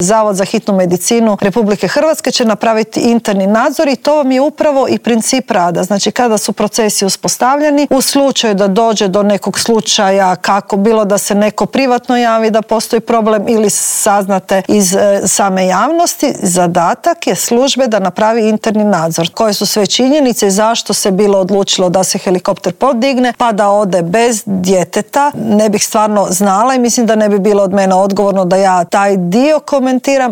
Zavod za hitnu medicinu Republike Hrvatske će napraviti interni nadzor i to vam je upravo i princip rada. Znači kada su procesi uspostavljeni, u slučaju da dođe do nekog slučaja, kako bilo da se neko privatno javi da postoji problem ili saznate iz same javnosti, zadatak je službe da napravi interni nadzor. Koje su sve činjenice i zašto se bilo odlučilo da se helikopter podigne pa da ode bez djeteta, ne bih stvarno znala i mislim da ne bi bilo od mene odgovorno da ja taj dio komentiram.